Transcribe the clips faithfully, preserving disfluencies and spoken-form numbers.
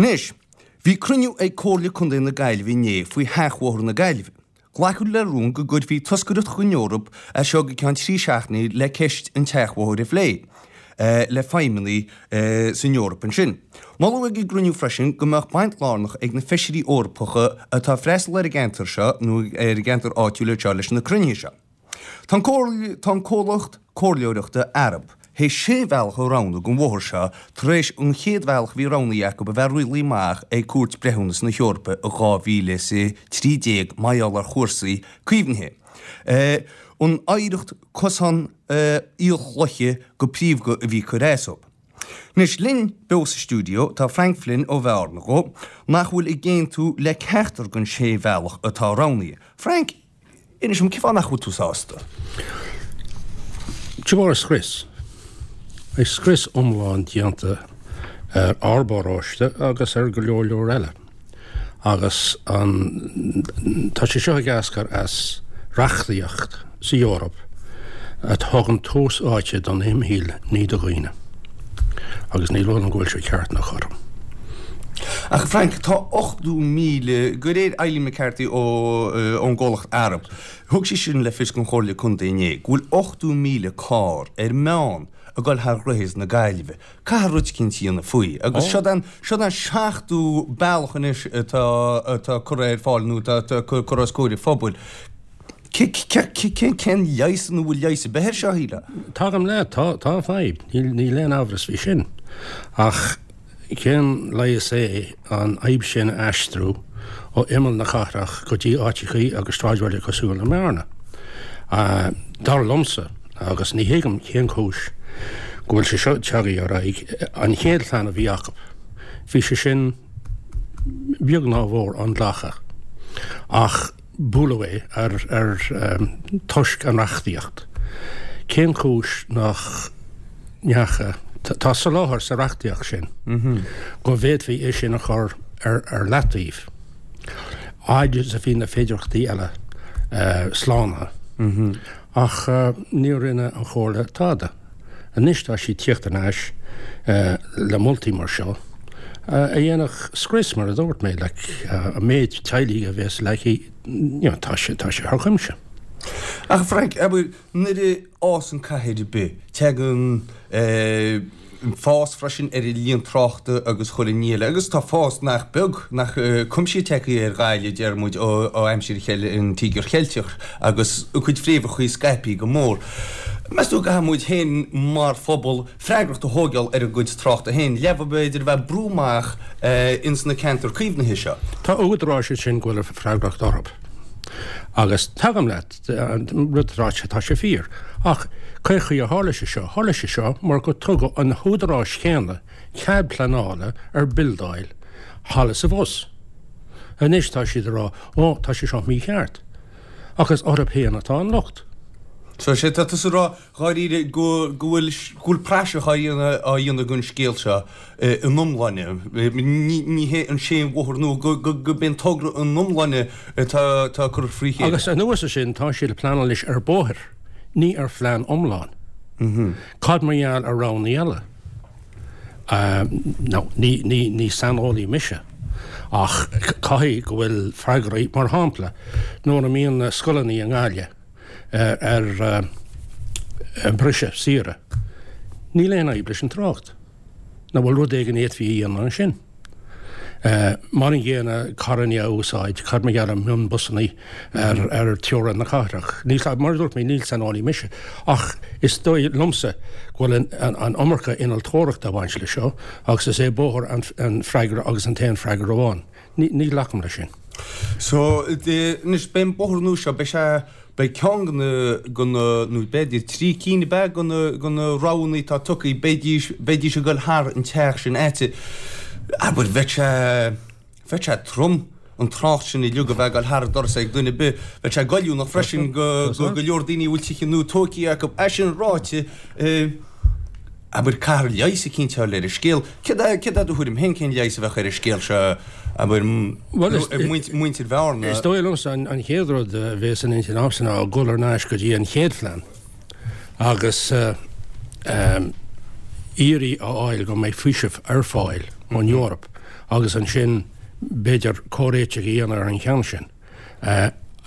Anois, bhí cruinniú ag Comhairle Contae na Gaillimhe inné faoi Sheachbhóthar na Gaillimhe. Glacadh le rún go gcuirfí toscaireacht chuig an Eoraip as seo go ceann trí seachtainí le ceist an tseachbhóthair a phlé le feidhmeannaigh san Eoraip ansin. Moladh ag an gcruinniú freisin go mbeadh baint lárnach ag na feisirí Eorpacha atá ag freastal ar an gceantar seo nó ar an gceantar áitiúil anseo leis na cruinnithe seo. Tá an comhlacht comhairleoireachta Arup théis sé bhealach a roghnú don bhóthar seo tar éis an chéad bhealach a bhí roghnaithe acu a bheith rialaithe amach ag Cúirt Breithiúnas na hEorpa i dhá mhíle is a trí déag mar gheall ar chúrsaí caomhnaithe. An oidhreacht cosán aolchloiche go príomha a bhí ag cur as dóibh. Anois linn beo sa stiúideo tá Frank Flynn ó Bhearna dhó nach bhfuil ag aontú le ceachtar den sé bhealach atá roghnaithe. Frank, Inis dom, cén fáth nach bhfuil tú sásta? De bharr scrios. Beidh scrios iomlán déanta ar ár bparóiste agus ar go leor leor eile. Agus an, tá sé seo ag eascair as reachtaíocht sa Eoraip a thugann tús áite don imshaoil ní do dhaoine. Agus ní dóigh liom go bhfuil sé ceart ná cothrom. Ach Frank, tá ochtó míle, de réir Eileen McCarthy ón gcomhlacht Arup, thug sí sin le fios don Chomhairle Contae inné, go bhfuil ochtó míle carr ar meán ag dul thar dhroichead na Gaillimhe. Caithfear rud eicínt a dhéanamh faoi. Agus seo an, seo an seachtú bealach anois atá, atá curtha ar fáil nó atá curtha os comhair an phobail. Cén leigheas nó bhfuil leigheas ar bith air seo, shílfeá? Tagaim leat, tá, tá fadhb, níl, níl aon amhras faoi sin. Ach cén leigheas é an fhadhb sin a aistriú ó imeall na cathrach go dtí áiteachaí agus sráidbhaile cosúil le Bearna? Dar liomsa, agus ní thuigim cén chúis go bhfuil sé seo tagtha ar aghaidh, an chéad phlean a bhí acu, bhí sé sin beag ná mór inghlactha, ach buaileadh é ar, ar, toisc an reachtaíocht. Cén chúis nach ndeacha, tá soláthar sa reachtaíocht sin go bhféadfaí é sin a chur ar, ar leataobh, fhad is a bhí na féidearthachtaí eile slánaithe. Ach ní rinne an Chomhairle tada. Anois tá sí ag tíocht thar n-ais le moltaí mar seo a dhéanfadh scrios, mar a dúirt mé, like, an méid teaghlaigh a bheas leagtha, you know, tá sé, tá sé thar cuimse. Ach Frank, abair, nuair a fhásann cathair ar bith, tagann fás freisin ar an líon tráchta agus chuile ní eile, agus tá fás nach beag, nach cuimsithe tagtha ar Ghaillimh, deir muid, ó aimsir an Tíogair Cheilteach agus a cuid fréamhacha scaipthe go mór. Meas tú go gcaithfidh muid féin mar phobal freagracht a thógáil ar an gcuid tráchta féin, le b'fhéidir a bheith ag brú amach ins na ceantair caomhnaithe seo? Tá údaráis ansin go bhfuil an freagracht orthu. Agus tagaim leat, an rud atá ráite, tá sé fíor. Ach cén chaoi a tharla sé seo? Tharla sé seo mar go tugadh an húdaráis chéanna cead pleanála ar bildáil thall is abhus. Anois tá siad ag rá, ó, tá sé seo mícheart. Ach is orthu féin atá an locht. So sé tá tusa ag rá dháiríre go go bhfuil go bhfuil praiseach á dhéanamh á dhéanamh den scéal seo ina iomláine. Ní ní hé an sé bhóthar nó go go go b'é an togra ina iomláine atá atá curtha frí chéile. Agus anuas ar sin tá siad ag pleanáil anois ar bóthar, ní ar phlean iomlán. Cad mar gheall ar roghanna eile? Now ní ní ní saineolaí mise ach caithfidh go bhfuil freagraí, mar shampla nuair a mbíonn na scoileanna i nGaillimh, ar briseadh saoire. Níl aon fhadhb leis an trácht. Nach bhfuil rud éigin a fhéadfaí a dhéanamh ansin? Mar an gcéanna carranna a úsáid, cad mar gheall ar mhionbhusanna ar ar teorainn na cathrach? Níl, mar a dúirt mé, ní saineolaí mise, ach is dóigh liomsa go bhfuil an an iomarca innealtóireachta ag baint leis seo agus is é bóthar an an freagra agus an t-aon freagra amháin. Ní ní ghlacaim leis sin. So, anois, beidh an bóthar nua seo, beidh sé, beidh ceann de na, de na, nó b'fhéidir trí cinn ab ea, de na, de na roghanna atá tugtha, beidís, beidís ag dul thar an teach sin a'tsa. Abair, bheadh sé, bheadh sé trom an trácht sin uilig a bheith ag dul thar an doras ag duine ar bith. Bheadh sé goilliúnach freisin go, go, go leor daoine a bhfuil tithe nua tógtha acu. É sin ráite, abair, caithfear leigheas eicínt a fháil ar an scéal. Céard é, céard é do thuairim féin, cén leigheas a bheadh ar an scéal seo, abair, Bhuel, is, muintir Bhearna? Is dóigh liomsa an, an chéad rud a bheas in intinn agamsa ná dul thar n-ais go dtí an chéad phlean agus iarraidh a fháil go mbeidh faoiseamh ar fáil ón Eoraip agus ansin b'fhéidir comhréiteach a dhéanamh ar an cheann sin.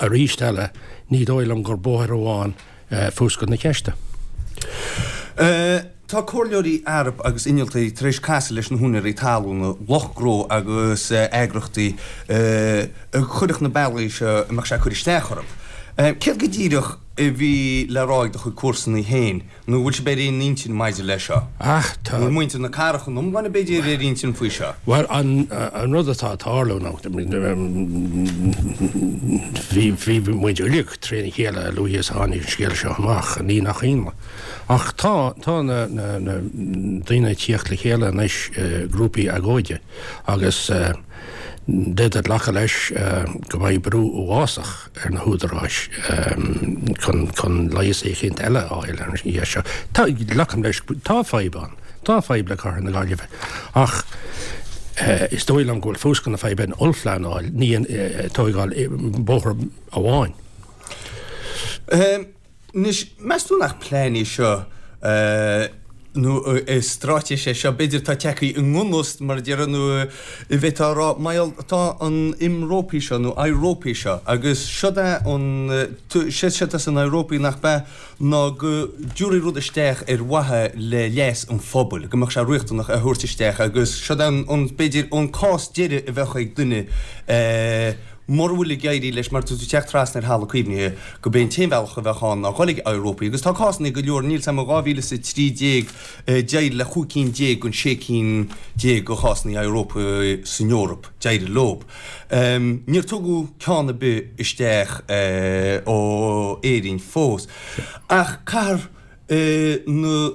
Arís eile, ní dóigh liom gur bóthar amháin fuascailt na ceiste. Tá comhairleoirí Arup agus innealtóirí tar éis casadh leis na húinéirí talún, lucht gnó agus eagrachtaí a chuirfeadh na bealaí seo a mbeadh sé ag cur isteach orthu. Céard go díreach a bhí le rá ag do chuid comharsanaí féin, nó bhfuil sibh ar aon intinn maidir leis seo? Ach tá. Bhfuil muintir na cathrach ina iomláine b'fhéidir ar aon intinn faoi seo? Bhuel, an rud atá ag tarlú ná, bhí, bhí muid uilig trína chéile a luaithe is a tháinig an scéal seo amach, ní nach ionadh. Ach tá, tá na, na, na daoine ag tíocht le chéile anois, grúpaí agóide agus d'fhéadfá glacadh leis go mbeidh brú uafásach ar na húdaráis chun, chun leigheas éicint eile a fháil ar an gceist seo. Tá, glacaim leis, tá fadhb ann, tá fadhb le Cathair na Gaillimhe ach is dóigh liom go bhfuil fuascailt na faidhbe in ollphleanáil, ní in tóigáil bóthar amháin. Anois, meas tú nach plean é seo nó is straitéis é seo, b'fhéidir, atá tagtha i ngan fhios, mar a déarfá, nó a bhféadfá a rá, mar gheall, tá an ImROPI seo, nó IROPI seo, agus seod é an, séard atá san IROPI nach b'ea ná go dtabharfaí rud isteach ar mhaithe le leas an phobail, go mbeadh sé riachtanach a thabhairt isteach agus seod é an, b'fhéidir, an cás deiridh a bheadh ag duine, mura bhfuil ag éirí leis, mar tá tú ag teacht trasna ar Halla Cuimhne, go b'é an t-aon bhealach a bheadh ann ná dhul ag IROPI. Agus tá cásanna go leor, níl 's a'm, in dhá mhíle is a trí déag d'éirigh le chúig cinn déag den sé cinn déag de chásanna IROPI san Eoraip, d'éirigh leob. Níor tugadh ceann ar bith isteach ó Éirinn fós. Ach caithfear na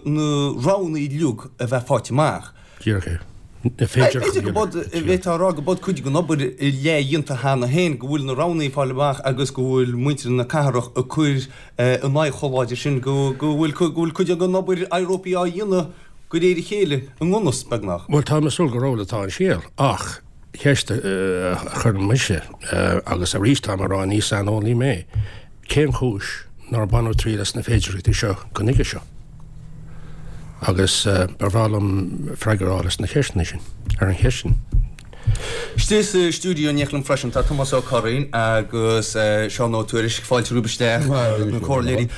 roghanna uilig a bheith faighte amach. Díreach é. B'fhéidir go b'fhéidir, bhféadfá a rá go b'fhéidir cuid den obair leathdhéanta cheana féin, go bhfuil na roghanna ag fáil amach agus go bhfuil muintir na cathrach ag cur ina n-aghaidh chomh láidir sin go bhfuil go bhfuil cuid den obair IROPI á dhéanamh de réir a chéile i ngan fhios, beagnach. Bhuel, tá mé ag súil gur amhlaidh atá an scéal, ach ceist a chuireann mise, agus arís táim ag rá ní saineolaí mé, cén chúis nár baineadh triail as na féidearthachtaí seo go nuige seo? Agus ba bhreá liom freagra a fháil as na ceisteanna sin, ar an cheist sin. Istigh sa stiúideo in éineacht liom freisin tá Tomás Ó Curraoin agus Seán Ó Tuairisg, fáilte romhaibh isteach, na comhairleoirí.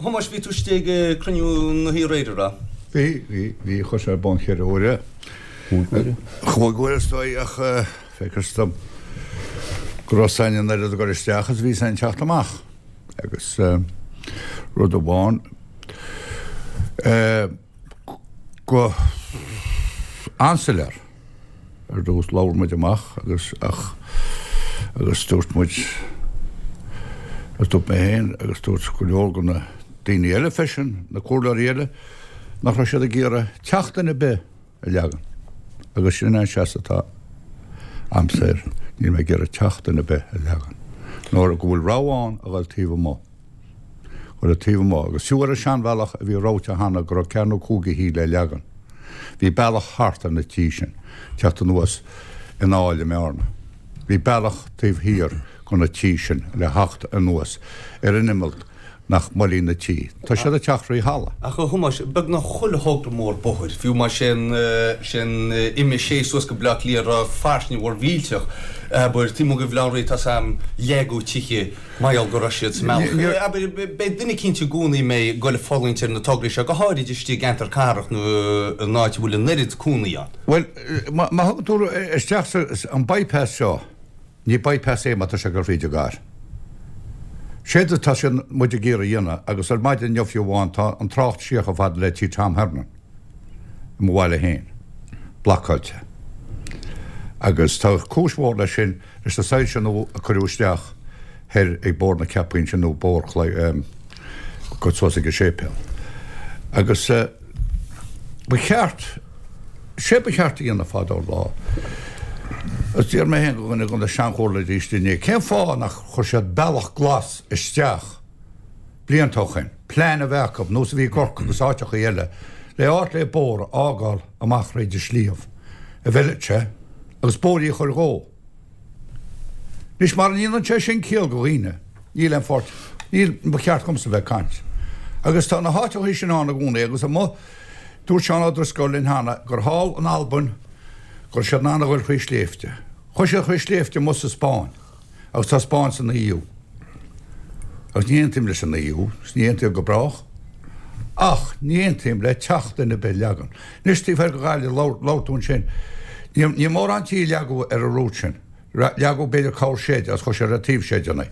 Thomáis, bhí tú istigh ag cruinniú na hoíche aréir, an raibh? Bhí, bhí, bhí, chuaigh sé ar bun ceithre huaire. Cúig huaire? Cúig huaire is dóigh ach feictear dom go raibh 's againn an oiread ag dul isteach is a bhí 's againn ag teacht amach. Agus rud amháin, go an-soiléir ar dtús labhair muid amach agus ach agus dúirt muid agus dúirt mé féin agus dúirt go leor de na daoine eile freisin, na comhairleoirí eile, nach raibh siad ag iarraidh teach duine ar bith a leagan agus sin an seasamh atá a'msa air, níl mé ag iarraidh teach duine ar bith a leagan nuair go bhfuil rogha ann a dhul taobh amuigh. Dhul taobh amuigh agus fiú ar an seanbhealach a bhí ráite cheana go raibh ceathair nó cúig de thithe le leagan, bhí bealach thart ar na tithe sin, teacht anuas in áil i mBearna. Bhí bealach taobh thiar de na tithe sin le theacht anuas ar an imeall nach mbuailfí na tithe. Tá siad ag teacht trí thalamh. Ach a Thomáis, beagnach chuile thogra mór bóthair, fiú más é an M a sé suas go Baile Átha Cliath, raibh fairsinge mhór mhillteach, abair, taobh amuigh de Bhaile Átha an Rí, tá 's a'm, leagadh tithe mar gheall go raibh siad sa mbealach. Abair, beidh duine eicínt i gcónaí a mbeidh ag dul ag fulaingt ar na tograí seo, go háirid istigh i gceantar cathrach nó in áit a bhfuil an oiread cónaí ann. Bhuel, má thugann tú isteach an bypass seo, ní bypass é má tá sé ag dul fríd an gcathair. Séard atá siad, muid ag iarraidh a dhéanamh, agus ar maidin inniu fiú amháin, tá an trácht siar chomh fada le tí Tom Hernon i mo bhaile féin, blocáilte. Agus tá cúis mhór leis sin, leis na soilse nua a cuireadh isteach thoir ag Bóthar na Ceapach ansin nó Bóthar Chlaí, go suas ag an séipéal. Agus ba cheart, sé ba cheart a dhéanamh fadó lá, agus d'iarr mé féin go dhuine de na seanchomhairleoirí istigh inné, cén fáth nach chuir siad bealach glas isteach blianta ó shoin, plean a bheith acu, nós a bhí i gCorcaigh agus áiteachaí eile, le áit le bóthar a fhágáil amach thríd an sliabh, a bhfeilfeadh sé, agus bóithrí a chur dhó. Anois, mara ndéanann sé sin ciall go dhaoine, níl aon pháirt, níl, ba cheart dhomsa bheith ag caint. Agus tá na háiteachaí sin ann i gcónaí agus amuigh, dúirt Seán Ó Drisceoil linn cheana gur thall in Albain Go raibh siad in ann a dhul thrí sléibhte. Chuaigh siad thrí sléibhte amuigh sa Spáinn agus tá Spáinn san E U. Agus ní aontaím leis an E U, is ní aontaím go brách. Ach ní aontaím le teach duine ar bith a leagan. Anois taobh thoir de Ghaillimh, labhair tú ansin, ní mórán tí a leagadh ar an route sin. Leagadh b'fhéidir corr seid agus chuaigh siad ar taobh seideanna.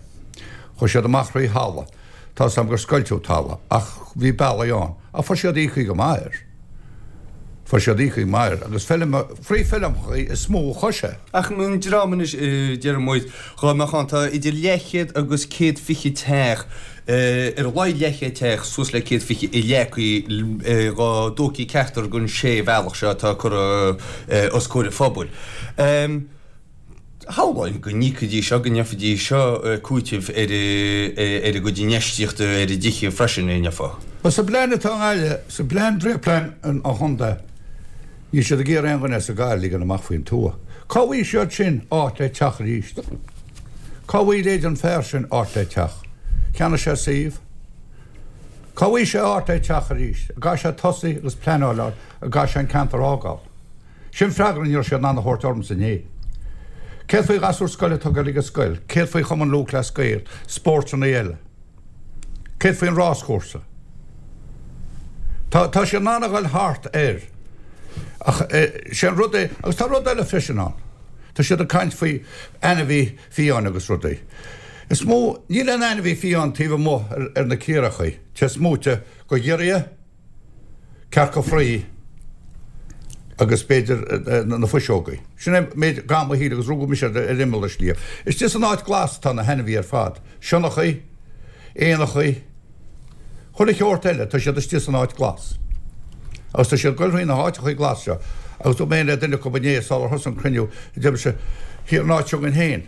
Chuaigh siad amach thrí thalamh. Tá 's agam gur scoilteadh talamh ach bhí bealaí ann. Ach fuair siad íoctha go maith air. Fuair siad íoctha go maith air agus feilm, frí feilmeachaí is mó a chuaigh sé. Ach an dream anois, deir muid, dhá mbeadh ann, tá idir leathchéad agus céad fiche teach, ar a laghad leathchéad teach suas le céad fiche i leagtha dhá dtógfaí ceachtar den sé bhealach seo atá curtha os comhair an phobail. Shamhlóinn go n-íocfaidís seo, go ndéanfaidís seo cúiteamh ar a gcuid infheistíochta ar a dtithe freisin, an ndéanfá? Bhuel, sa bplean atá i nGaillimh, sa bplean, dréachtphlean an chontae, níl siad ag iarraidh aon dhuine as an gcathair a ligean amach faoin tuath. Cá bhfaighidh siad sin áit le teach arís? Cá bhfaighidh leithéid an fear sin áit le teach? Cheannaigh sé suíomh. Cá bhfaighidh sé áit le teach arís? An gcaithfidh sé tosaí agus pleanáil ann, an gcaithfidh sé an ceantar a fhágáil? Sin freagra ní raibh siad in ann a thabhairt ormsa inné. Céard faoi ghasúir scoile atá ag dul ag an scoil? Céard faoi Chumann Lúthchleas Gael, spórtanna eile? Céard faoin ráschúrsa? Tá tá siad in ann a dhul thart air. Ach sé an rud é, agus tá rud eile freisin ann. Tá siad ag caint faoi ainmhí fiáin agus rudaí. Is mó, níl aon ainmhí fiáin taobh amuigh ar, ar na caorachaí. Tá smúite go ghiorria, cearca fraoigh agus b'fhéidir na fuiseogaí. Sin é méid gam a shíl agus rugadh mise ar imeall na sliabh. Istigh san áit glas atá na hainmhí ar fad. Sionnachaí, éanachaí, chuile sheort eile, tá siad istigh san áit glas. Agus tá siad ag goil thrí na háiteachaí glas seo. Agus dúirt mé le duine acu inné sular thosaigh an cruinniú, deir mise, thiar an áit seo againn féin.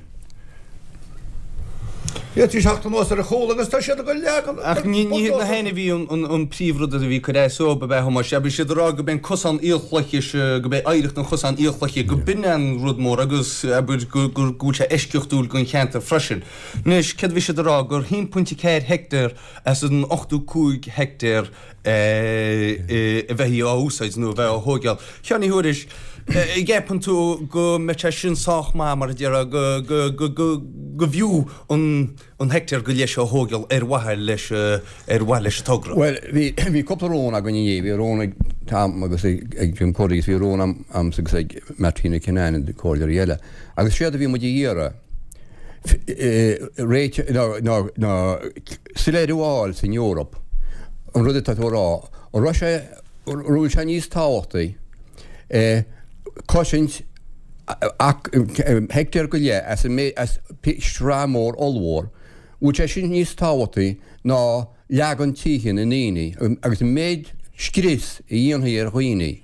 D'fhéadfaí teacht anuas ar a chúl agus tá siad ag goil leagan. Ach ní ní hiad na hainmhí an príomhrud a bhí ag cur as dóibh, ab ea, a Thomáis? Bhí siad ag rá go b'é an cosán aolchloiche, go b'é oidhreacht an chosáin aolchloiche, go b'in an rud mór agus abair go go bhfuil sé eisceachtúil don cheantar freisin. Anois, céard a bhí siad ag rá? Gur haon pointe ceathair heicteár as an ochtó cúig heicteár a bheidh á úsáid nó a bheith á thógáil. Sheáin Uí Thuairisg, an gceapann tú go mbeidh sé sin sách maith mar a déarfá go go go go go bhfiú an an heicteár go leith seo a thógáil ar mhaithe leis ar mhaithe leis an togra? Bhuel, bhí bhí cúpla rún againn inné, bhí rún ag Tom agus ag ag Jim Curry agus bhí rún a'msa agus ag Martina Kinane na comhairleoirí eile. Agus séard a bhí muid a iarraidh réiteach ná ná ná soiléiriú a fháil san Eoraip an rud atá tú a rá, an raibh sé an bhfuil sé níos tábhachtaí cosaint heicteár go leith as an as sraith mór ollmhór, bhfuil sé sin níos tábhachtaí ná leagan tithe na ndaoine agus an méid scrios a dhéanfaí ar dhaoine.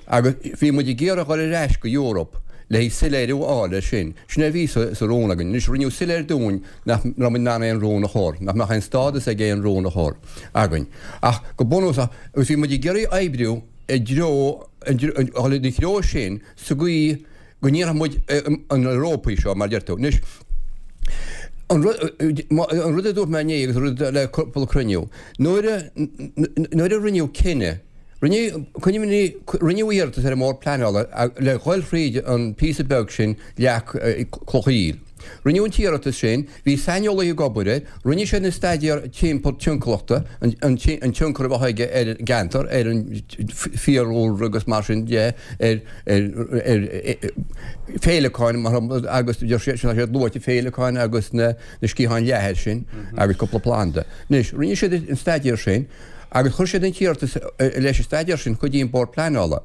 Agus bhí muid ag iarraidh dhul ar ais go Eoraip le haghaidh soiléiriú a fháil air sin. Sin é a bhí sa rún againn. Anois rinneadh soiléir dúinn nach raibh muid in ann aon rún a chur, nach mbeadh aon stádas ag aon rún a chur againn. Ach go bunúsach, agus bhí muid ag iarraidh oibriú i dtreo, dhul ina threo sin sa gcaoi go ndéanfadh muid an Eoraip seo, mar a deir tú. Anois, an rud a dúirt mé inné agus an rud le cúpla cruinniú, nuair a, nuair a rinneadh cinneadh, rinneadh, cuimhnigh, rinneadh iarratas ar an mBord Pleanála le dhul thríd an píosa beag sin Leac Cloch Aoil. Rinneadh an t-iarratas sin, bhí saineolaithe ag obair air, rinne siad an staidéar timpeall timpeallachta, an tionchar a bheadh aige ar an gceantar, ar an bhfiadhúlra agus mar sin de, ar féileacáin mar agus deir siad, tá siad luaite féileacáin agus na sciatháin leathair sin agus cúpla planda. Anois, rinne siad an staidéar sin agus chuir siad an t-iarratas leis an staidéar sin chuig an Bord Pleanála.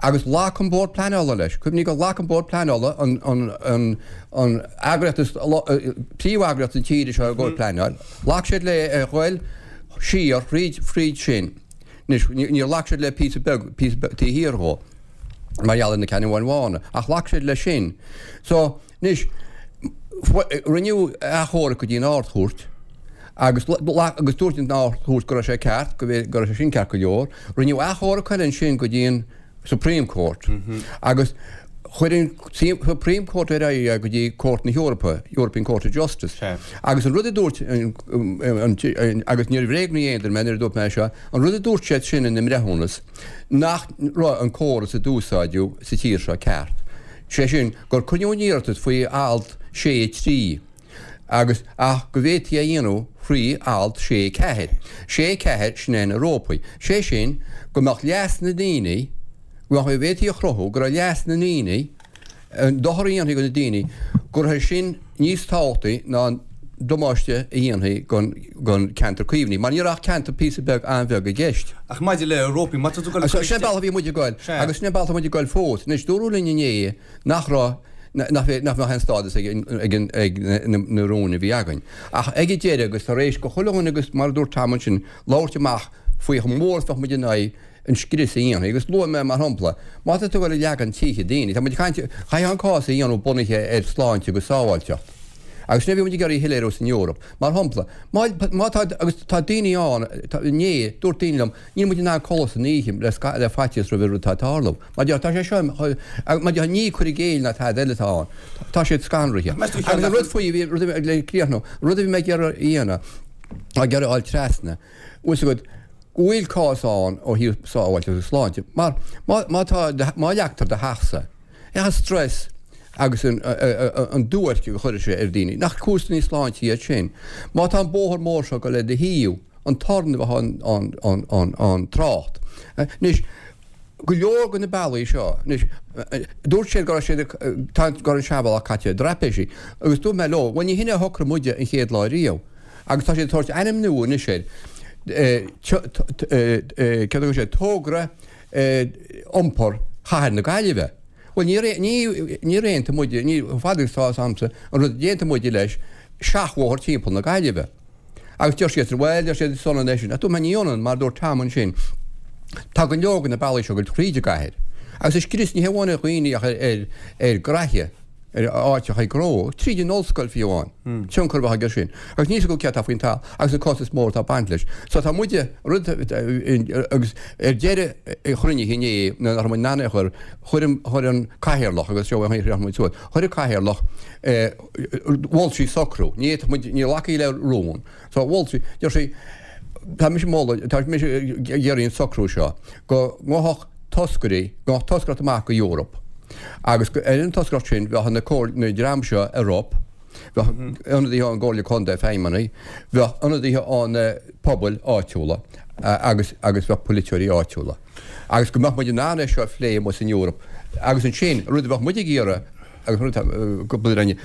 Agus ghlac an Bord Pleanála leis. Cuimhnigh gur ghlac an Bord Pleanála, an, an, an, an eagraíocht is, príomheagraíocht na tíre seo i gcomhair pleanáil, ghlac siad le a ghoil siar thríd, fríd sin. Anois, níor ghlac siad le píosa beag, píosa beag taobh thiar dhó, mar gheall ar na Ceannabháin Bhána, ach ghlac siad leis sin. So, Anois, rinneadh achomharc go dtí an Ard-Chúirt agus agus dúirt an Ard-Chúirt go raibh sé ceart, go raibh sé sin ceart go leor. Rinneadh achomharc eile ansin go dtí an Supreme Court agus chuir an Supreme Court ar aghaidh é go dtí Cúirt na hEorpa, European Court of Justice. Agus an rud a dúirt an, agus níor bhréagnaigh aon duine mé nuair a dúirt mé seo, an rud a dúirt siad sin ina mbreithiúnas nach raibh an córas a d'úsáideadh sa tír seo ceart. Sé sin gur coinneoidh an iarratas faoi alt sé trí agus ach go bhféadfaí a dhéanamh faoi alt sé ceathair. Sé ceathair sin é na rópaí. Sé sin go mbeadh leas na ndaoine, go mbeadh, bhféadfaí a chruthú go raibh leas na ndaoine, an dochar a dhéanfaí do na daoine, go raibh sin níos tábhachtaí ná an damáiste a dhéanfaí don cheantar caomhnaithe, mar ní raibh ach ceantar píosa beag an-bheag i gceist. Ach maidir le rópaí, má tá tú ag goil. Sin an bealach a bhí muid ag goil agus sin an bealach atá muid ag goil fós. Anois, dúradh linn inné nach raibh, nach mbeadh aon stádas ag na rúin a bhí againn. Ach ag an deireadh, agus tar éis do chuile dhuine agus mar a dúirt Tom ansin, labhairt amach faoi chomh mór is bheadh muid in aghaidh an scrios a dhéanfaí. Agus luaigh mé mar shampla, má tá tú ag goil ag leagan tithe daoine, tá muid ag caint, caithfidh an cás a dhéanamh bunaithe ar shláinte agus sábháilteacht. Agus sin a bhí muid ag iarraidh a shoiléiriú san Eoraip. Mar shampla, má, má tá, agus tá daoine ann, tá, inné, dúirt daoine liom, níl muid in ann codladh san oíche le, le faitíos roimh an rud atá ag tarlú. Mar deir, tá sé seo, mar deir, ní cur i gcéill ná tada eile atá ann. Tá siad scanraithe. Agus an rud faoi, bhí, rud a bhí, le críochnú, rud a bhí mé ag iarraidh a dhéanamh, ag iarraidh a fháil trasna, bhfuil fhios agat, go bhfuil cás ann ó thaobh sábháilteacht agus sláinte. Mar má, má tá, má leagtar do theachsa, an stress agus an, an duairce a chuirfidh sé ar dhaoine, nach cúiseanna sláinte iad sin? Má tá an bóthar mór seo ag goil ar do thaobh, an torann a bheith ann, an, an, an, an trácht. Anois, go leor de na bealaí seo, anois, dúirt siad go raibh siad, tá, go raibh an seanbhealach caite i dtraipéisí, agus dúirt mé leo, bhuel ní hin é a shocraigh muide an chéad lá riamh. Agus tá siad ag tabhairt ainm nua anois air, céard a thug sé, Togra Iompair Chathair na Gaillimhe. Bhuel, níor, níor aontaigh muide, ní, chomh fada agus atá fhios a'msa, an rud a d'aontaigh muide leis, seachbhóthar timpeall na Gaillimhe. Agus deir siad, bhuel, deir siad, is ionann é sin. Ach dúirt mé, ní ionann, mar a dúirt Tom ansin, tá go leor de na bealaí seo ag goil tríd an gcathair. Agus is scrios ní hamháin ar dhaoine ach ar, ar, ar ghraithe. ar áiteacha gnó, tríd an ollscoil fiú amháin, tionchar a bheadh aige sin. Agus níl 's acu céard atá faoin talamh agus an costas mór atá ag baint leis. So tá muide, rud, agus ar deireadh an chruinnithe inné, nuair nach raibh muid in ann é a chur, chuir an, chuir an cathaoirleach, agus seo an chaoi a muid suas, chuir an cathaoirleach, mhol sí socrú, ní fhéadfadh muid, ní ghlacfaí le rún. So mhol sí, deir sí, tá mise ag moladh, tá mise ag iarraidh an socrú seo, go ngabhfadh toscairí, go ngabhfadh toscaireacht amach go Eoraip agus ar an toscaireacht sin bheadh na na dream seo i Arup, bheadh ionadaithe ón gComhairle Contae, feidhmeannaigh, bheadh ionadaithe ó na pobail áitiúla agus agus bheadh polaiteoirí áitiúla. Agus go mbeadh muid in ann é seo a phlé amuigh san Eoraip agus ansin rud a bheadh muid ag iarraidh agus rud go mbeadh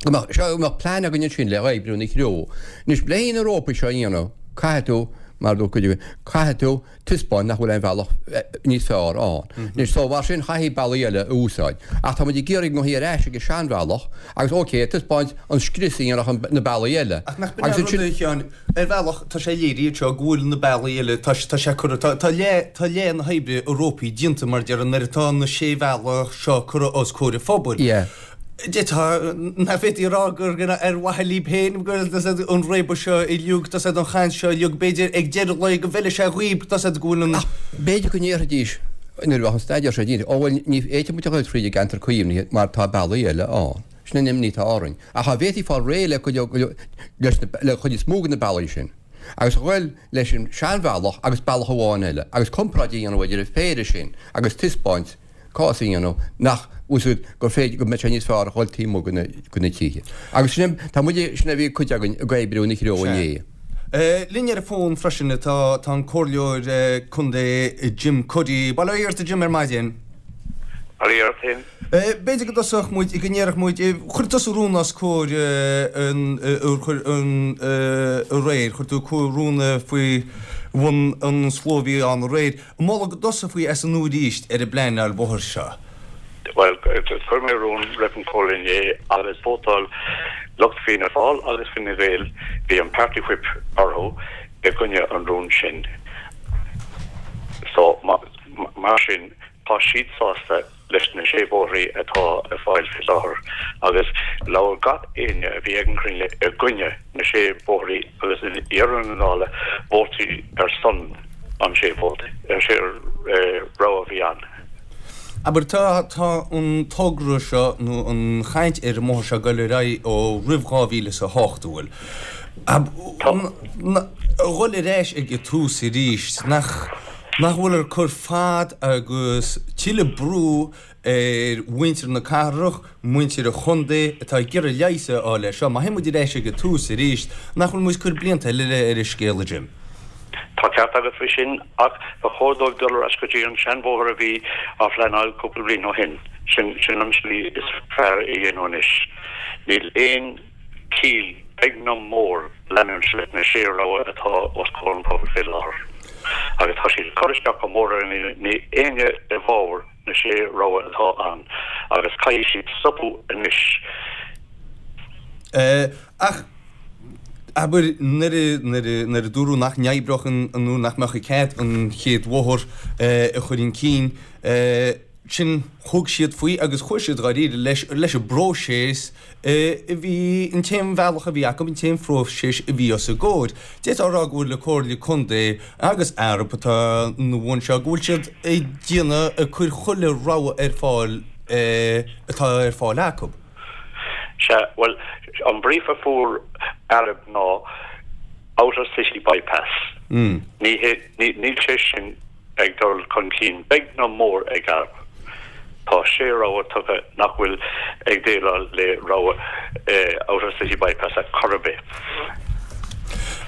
go mbeadh seo go mbeadh plean againn ansin le oibriú ina threo. Anois le na rópaí seo a dhéanamh caithfidh tú mar a dúirt cuid agaibh caithfidh tú taispeáint nach bhfuil aon bhealach níos fearr ann. Anois, so mar sin, chaithfí bealaí eile a úsáid. Ach tá muid ag iarraidh go ngabhfaí ar ais ag an seanbhealach agus, ok, taispeáint an scrios a dhéanfadh na bealaí eile. Ach nach b'in an rud, a Sheáin, ar bhealach, tá sé léirithe anseo go bhfuil na bealaí eile, tá tá sé curtha, tá tá leath, tá leath na hoibre i rópaí déanta, mar a déarfá, nuair atá na sé bhealach seo curtha os comhair an phobail. Yeah. D'fhéadfá, nach bhféadfaí a rá gur ar mhaithe libh féin go an réabadh seo uilig, tá an chaint seo uilig, b'fhéidir ag deireadh lae go bhfeilfidh sé dhaoib, tá go bhfuil an. Ach b'fhéidir go ndéarfaidís nuair a bheadh an staidéar seo déanta, ó bhuel ní fhéadfaidh muid a dhul tríd an gceantar caomhnaithe mar tá bealaí eile ann. Sin an imní atá orainn. Ach dá bhféadfaí fáil réidh le cuid, leis na, le cuid is mó de na bealaí sin agus a dhul leis an seanbhealach agus bealach amháin eile agus comparáid a dhéanamh idir an phéire sin agus taispeáint cás a dhéanamh nach bhfuil gur féidir go mbeidh sé níos fearr a dhul taobh amuigh de na tithe. Agus sin tá muid sin a bhí cuid againn ag oibriú ina threo inné. Linn ar an bhfón freisin tá tá an Comhairleoir Contae Jim Cuddy. Bail ó Dhia ort a Jim ar maidin. Bail ó Dhia ort féin. B'fhéidir go dtosódh muid, go ndéarfadh muid, chuir tusa rún os comhair an chuir an aréir, chuir tú rún faoi bhun an slua a bhí ann aréir. Moladh go dtosófaí as an nua arís ar an bpleanáil bhóthair seo. Bhuel, chuir mé rún roimh an Chomhairle inné agus vótáil lucht Fianna Fáil agus Fine Gael, bhí an party whip orthu, i gcoinne an rúin sin. So, mar sin, tá siad sásta leis na sé bhóithrí atá ar fáil faoi láthair agus labhair gach éinne a bhí ag an chruinniú i gcoinne na sé bhóithrí agus i ndeireadh na dála vótaí ar son an sé vóta, sé rogha a bhí ann. Abair, tá, tá an togra seo nó an chaint ar an mbóthar seo ag dul ar aghaidh ó roimh dhá mhíle is a hocht, an bhfuil? Ab, Tá. a dhul ar ais ag an tús arís, nach. Nach bhfuil ag cur fad agus tuilleadh brú ar mhuintir na cathrach, muintir an chontae atá ag iarraidh leigheas a fháil air seo. Má théann muid ar ais ag an tús arís, nach bhfuil muid ag cur blianta eile ar an scéal, a Jim? Tá ceart agat faoi sin ach ba chóir dóibh dul ar ais go dtí an seanbhóthar a bhí á phleanáil cúpla bliain ó shin. Sin sin an slí is fearr a dhéanamh anois. Níl aon chiall beag ná mór leanúint leis na sé rogha atá os comhair an phobail faoi láthair. Agus tá siad ag cur isteach go mór ar an níl éinne i bhfabhar na sé rogha atá ann agus caithfidh siad stopadh anois. Ach abair nuair a nuair a nuair a dúradh nach n-oibreodh an nó nach mbeadh cead an chéad bhóthar a chur chun cinn, sin thug siad faoi agus chuaigh siad dháiríre leis leis an bpróiseas a bhí an t-aon bhealach a bhí acu, an t-aon phróiseas a bhí os a gcomhair. D'fhéadfá a rá go bhfuil an Comhairle Contae agus Arup atá ina bhun seo, go bhfuil siad ag déanamh, ag cur chuile rogha ar fáil atá ar fáil acu. Sea, bhuel, an brief a fuair Arup ná Outer City Bypass. Ní hé, níl sé sin ag dul chun cinn beag ná mór ag Arup. Tá sé rogha tugtha nach bhfuil ag déileáil le rogha Outer City Bypass ar chor ar bith.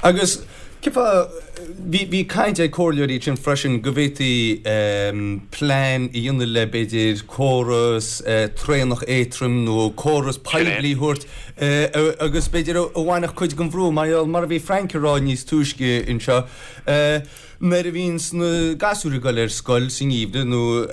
Agus cén bhí bhí caint ag comhairleoirí sin freisin go bhféadfaí plean a dhéanamh le b'fhéidir córas traenach éadrom nó córas poiblí a thabhairt agus b'fhéidir a bhainfeadh cuid den bhrú mar mar a bhí Frank ag rá níos túisce anseo. Nuair a bhíonns na gasúir ag dul ar scoil sa ngeimhreadh nó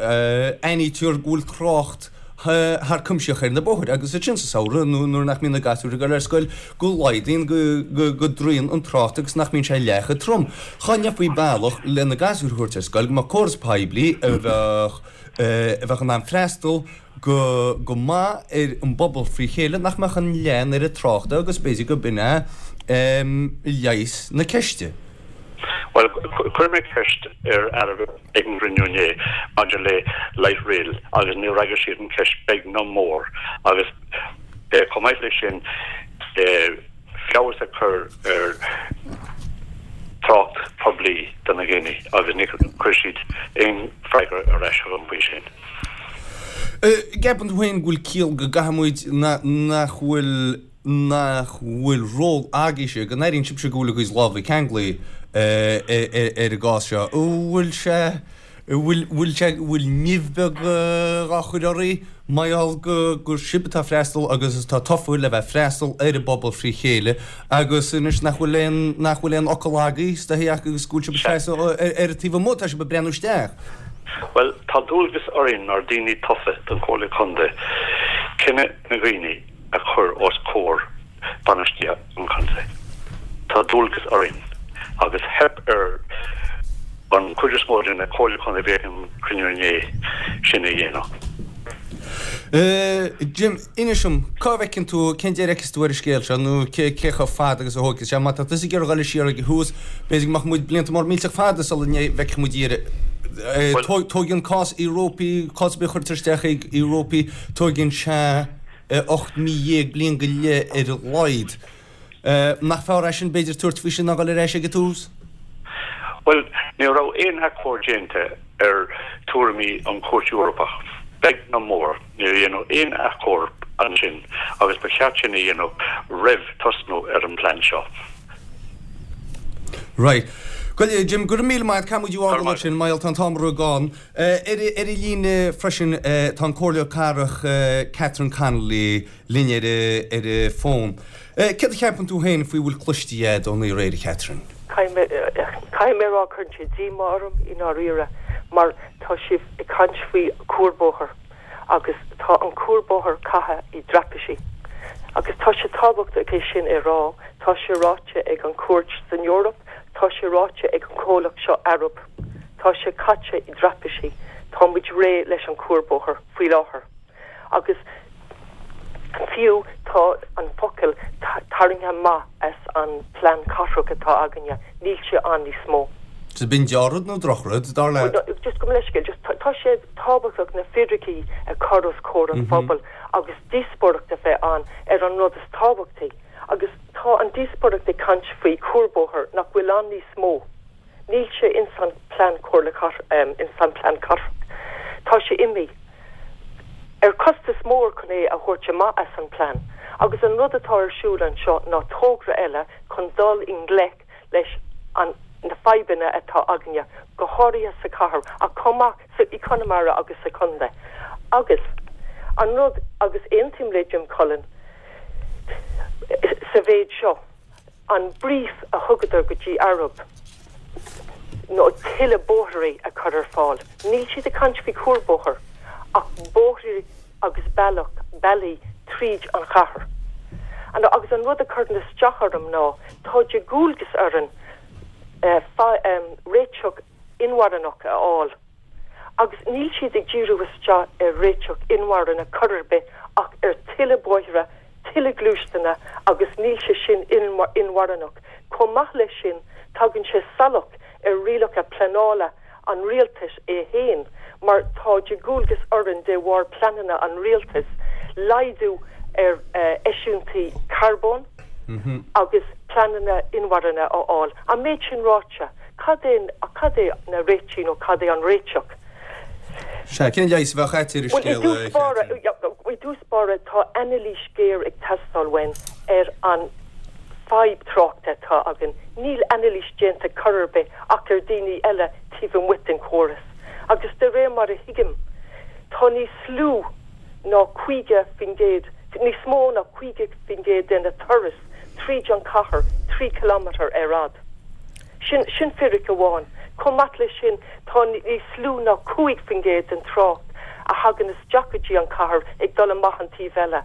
aithnítear go bhfuil trácht thar cuimse ar na bóithre agus ansin sa samhradh nó nuair nach mbíonn na gasúir ag dul ar scoil go laghdaíonn go go go dtroitheann an trácht agus nach mbíonn sé leath chomh trom. Cha ndéanfaí bealach le na gasúir a thabhairt ar scoil go mbeadh córas poiblí a bheadh a bheadh in ann freastal go go maith ar an bpobal frí chéile nach mbeadh an leath an oiread tráchta agus b'fhéidir go b'in é leigheas na ceiste. Bhuel, chuir mé ceist ar Arup ag an gcruinniú inné maidir le light rail agus níor fhreagair siad an ceist beag ná mór agus chomh maith leis sin feabhas a chur ar trácht poiblí do na daoine agus níor chuir siad aon freagra ar ais chugam faoi sin. Ceapann tú féin go bhfuil ciall go gcaithfidh muid nach bhfuil nach bhfuil ról agaibhse, go n-airíonn sibhse go bhfuil a gcuid lámha ceanglaithe ar an gcás seo. Bhfuil sé bhfuil bhfuil sé bhfuil nimh beag á chur oraibh mar gheall go gur sibh atá freastal agus atá tofa le bheith freastal ar an bpobal frí chéile agus anois nach bhfuil aon nach bhfuil aon fhocal agaibh istigh agus go bhfuil sibh ag seasamh ar ar an taobh amuigh tá sibh ag breathnú isteach. Bhuel, tá dualgas orainn mar daoine tofa don Chomhairle Contae cinneadh na dhaoine a chur os comhair bainistíocht an chontae. Tá dualgas orainn agus theip ar an chuid is mó de na comhairle contae a bhí ag an cruinniú inné sin a dhéanamh. Jim, inis dom, cá bhfeiceann tú, cén deireadh a fheiceas tú ar an scéal seo nó cé cé chomh fada agus a thógfaidh sé? Má tá tusa ag iarraidh dul siar ag an tús, b'fhéidir go mbeadh muid blianta mór millteach fada sula bhfeicfidh muid deireadh. Tógann cás Eorpaí, cás ar bith a chuirtear isteach ag Eorpaí, tógann sé ocht mí dhéag, bliain go leith ar a laghad. Nach fearr é sin b'fhéidir tabhairt faoi sin ná dul ar ais ag an tús? Bhuel, ní raibh aon achomharc déanta ar tuairimí an Chúirt Eorpach, beag ná mór. Níor dhéanadh aon achomharc ansin agus ba cheart sin a dhéanamh roimh tosnú ar an bplean seo. Right. Bhuel, Jim, go raibh míle maith, caithfidh muid fhágáil ansin, mar tá an t-am ró-ghann. Ar ar an líne freisin tá an Comhairleoir Cathrach Catherine Connolly linn ar ar an bhfón. Céard a cheapann tú féin faoi bhfuil cloiste agat ón aréir, Catherine? Caithfidh mé a rá cuireann sé díomá orm i ndáiríre mar tá sibh ag caint faoi cuarbhóthar agus tá an cuarbhóthar caite i dtraipisí. Agus tá sé tábhachtach é sin a rá, tá sé ráite ag an cúirt san Eoraip, tá sé ráite ag an comhlacht seo Arup. Tá sé caite i dtraipisí, Tá muid réidh leis an cuarbhóthar faoi láthair. Agus fiú tá an focal tarraingthe amach as an plean cathrach atá againne, níl sé ann níos mó. Is b'in dea-rud nó drochrud dar leat? Just go leiscéil, just tá sé tábhachtach na fíricí a chur os comhair an phobail agus díospóireacht a bheith ann ar an rud is tábhachtaí. Agus tá an díospóireacht ag caint faoi cuarbhóthar nach bhfuil ann níos mó. Níl sé ins an plean comhairle um, ins an plean cathrach. Tá sé imithe. Ar costas mór chun é a thabhairt amach as an plean, agus an rud atá ar siúl anseo ná togra eile chun dul i ngleic leis an na fadhbanna atá againne, go háirithe sa chathair ach chomh maith i Conamara agus sa chontae. Agus an rud agus aontaím le Jim Cullen sa mhéid seo an brief a thugadar go dtí Arup nó tuilleadh bóithre a chur ar fáil. Níl siad ag caint faoi cuarbhóthar ach bóithre agus bealach bealaí tríd an chathair. An agus an rud a chuireann isteach orm ná tá de dhualgas orainn uh, um, réiteach inmharthanach a fháil. Agus níl siad ag díriú isteach ar réiteach inmharthana chor ar bith ach ar tuilleadh bóithre, tuilleadh gluaisteáin agus níl sé sin inmharthanach. Chomh maith leis sin tagann sé salach ar rialacha pleanála an rialtais é féin, mar tá de dhualgas orainn de bharr pleananna an rialtais laghdú ar uh, eisiúintí carbón mm -hmm. agus pleananna inmharthana a fháil. An méid sin ráite, cad é cad é na réitigh nó cad é an réiteach. Sea cén leigheas a bheadh agat ar scéal I dtús báire tá anailís ghéar ag teastáil uainn ar an fadhb tráchta atá againn. Níl anailís déanta chor ar bith ach ar daoine eile taobh amuigh den chóras. Agus de réir mar a thuigim, tá níos lú ná caoga faoin gcéad, níos mó ná caoga faoin gcéad den na turas tríd an cathair trí kilometer ar fhad. Sin, sin fíric amháin. Chomh maith leis sin tá níos lú ná cúig faoin gcéad den trácht a thagann isteach go dtí an cathair ag dul amach an taobh eile.